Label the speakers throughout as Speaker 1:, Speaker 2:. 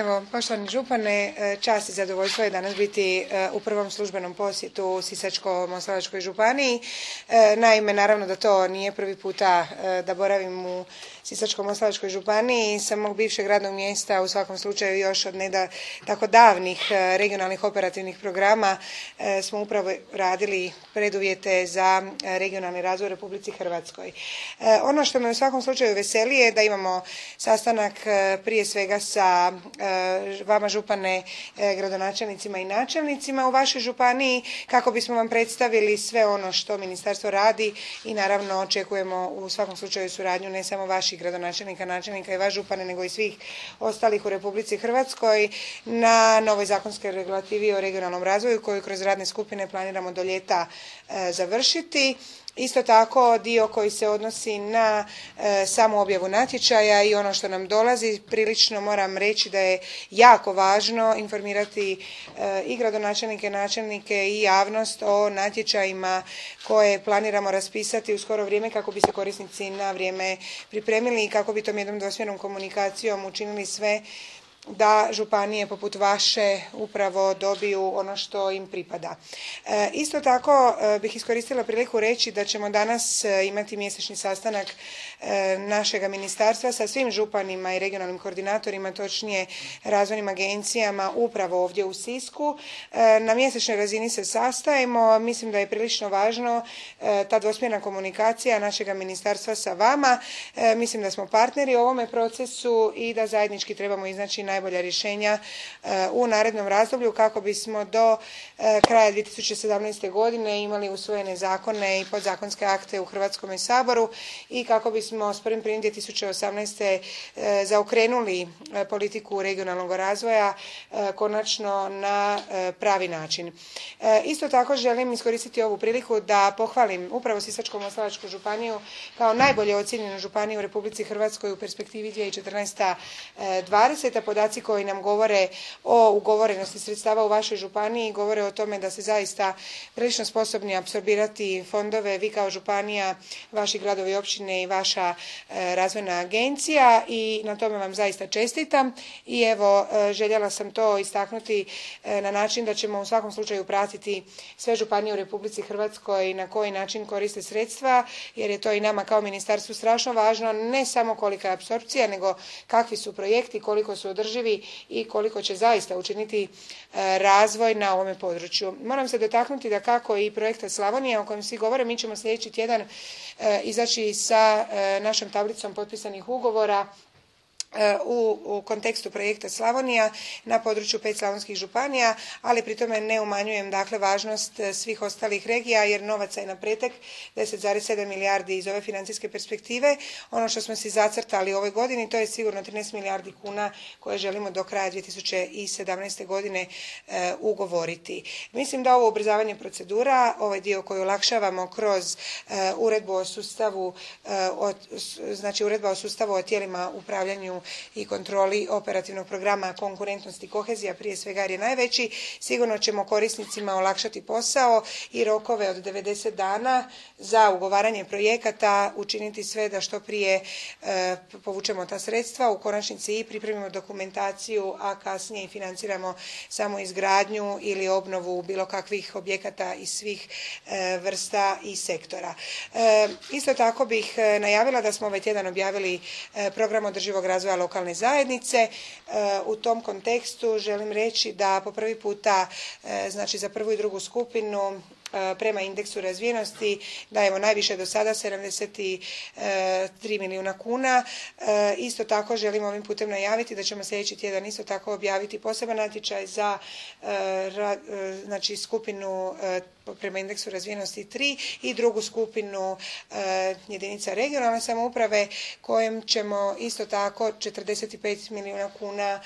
Speaker 1: Evo, poštovani župane, čast i zadovoljstvo je danas biti u prvom službenom posjetu u Sisačko-moslavačkoj županiji. Naime, naravno da to nije prvi puta da boravim u Sisačko-moslavačkoj županiji. Sa mog bivšeg radnog mjesta, u svakom slučaju još od tako davnih regionalnih operativnih programa, smo upravo radili preduvjete za regionalni razvoj u Republici Hrvatskoj. Ono što me u svakom slučaju veseli je da imamo sastanak prije svega sa vama župane, gradonačelnicima i načelnicima u vašoj županiji kako bismo vam predstavili sve ono što ministarstvo radi i naravno očekujemo u svakom slučaju suradnju ne samo vaših gradonačelnika, načelnika i vas župane nego i svih ostalih u Republici Hrvatskoj na novoj zakonskoj regulativi o regionalnom razvoju koju kroz radne skupine planiramo do ljeta završiti. Isto tako dio koji se odnosi na samu objavu natječaja i ono što nam dolazi, prilično moram reći da je jako važno informirati i gradonačelnike, načelnike i javnost o natječajima koje planiramo raspisati u skoro vrijeme kako bi se korisnici na vrijeme pripremili i kako bi tom jednom dvosmjernom komunikacijom učinili sve da županije poput vaše upravo dobiju ono što im pripada. Isto tako bih iskoristila priliku reći da ćemo danas imati mjesečni sastanak našega ministarstva sa svim županima i regionalnim koordinatorima, točnije razvojnim agencijama upravo ovdje u Sisku. Na mjesečnoj razini se sastajemo, mislim da je prilično važno ta dvosmjerna komunikacija našega ministarstva sa vama. Mislim da smo partneri u ovome procesu i da zajednički trebamo iznaći najbolja rješenja u narednom razdoblju kako bismo do kraja 2017. godine imali usvojene zakone i podzakonske akte u Hrvatskome saboru i kako bismo s 1.1.2018. zaokrenuli politiku regionalnog razvoja konačno na pravi način. Isto tako želim iskoristiti ovu priliku da pohvalim upravo Sisačko-moslavačku županiju kao najbolje ocijenjenu županiju u Republici Hrvatskoj u perspektivi 2014-2020. Podaci koji nam govore o ugovorenosti sredstava u vašoj županiji govore o tome da ste zaista prilično sposobni apsorbirati fondove, vi kao županija, vaši gradovi i općine i vaša razvojna agencija i na tome vam zaista čestitam i evo željela sam to istaknuti na način da ćemo u svakom slučaju pratiti sve županije u Republici Hrvatskoj na koji način koriste sredstva jer je to i nama kao ministarstvu strašno važno, ne samo kolika je apsorpcija nego kakvi su projekti, koliko su održivi i koliko će zaista učiniti razvoj na ovome području. Moram se dotaknuti da kako i projekta Slavonija o kojem svi govore, mi ćemo sljedeći tjedan izaći sa našom tablicom potpisanih ugovora u kontekstu projekta Slavonija na području 5 slavonskih županija, ali pri tome ne umanjujem dakle važnost svih ostalih regija jer novaca je na pretek 10,7 milijardi iz ove financijske perspektive. Ono što smo si zacrtali u ovoj godini to je sigurno 13 milijardi kuna koje želimo do kraja 2017. godine ugovoriti. Mislim da ovo ubrzavanje procedura, ovaj dio koji olakšavamo kroz uredbu o sustavu, znači uredba o sustavu o tijelima upravljanju i kontroli operativnog programa konkurentnost i kohezija prije svega jer je najveći, sigurno ćemo korisnicima olakšati posao i rokove od 90 dana za ugovaranje projekata učiniti sve da što prije povučemo ta sredstva, u konačnici i pripremimo dokumentaciju, a kasnije i financiramo samo izgradnju ili obnovu bilo kakvih objekata iz svih vrsta i sektora. Isto tako bih najavila da smo ovaj tjedan objavili program održivog razvoja lokalne zajednice. U tom kontekstu želim reći da po prvi puta, znači za prvu i drugu skupinu prema indeksu razvijenosti dajemo najviše do sada 73 milijuna kuna. Isto tako želim ovim putem najaviti da ćemo sljedeći tjedan isto tako objaviti poseban natječaj za znači skupinu prema indeksu razvijenosti 3 i drugu skupinu jedinica regionalne samouprave kojem ćemo isto tako 45 milijuna kuna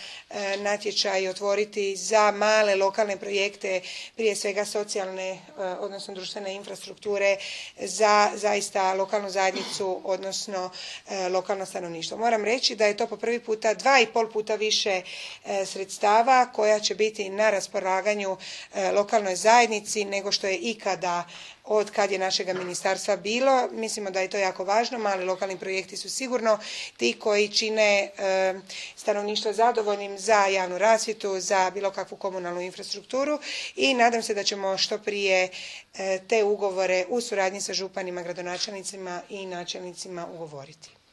Speaker 1: natječaj otvoriti za male lokalne projekte, prije svega socijalne odnosno društvene infrastrukture za zaista lokalnu zajednicu odnosno lokalno stanovništvo. Moram reći da je to po prvi puta 2,5 puta više sredstava koja će biti na raspolaganju lokalnoj zajednici nego što što je ikada od kad je našega ministarstva bilo. Mislimo da je to jako važno. Mali lokalni projekti su sigurno ti koji čine stanovništvo zadovoljnim za javnu rasvjetu, za bilo kakvu komunalnu infrastrukturu i nadam se da ćemo što prije te ugovore u suradnji sa županima, gradonačelnicima i načelnicima ugovoriti.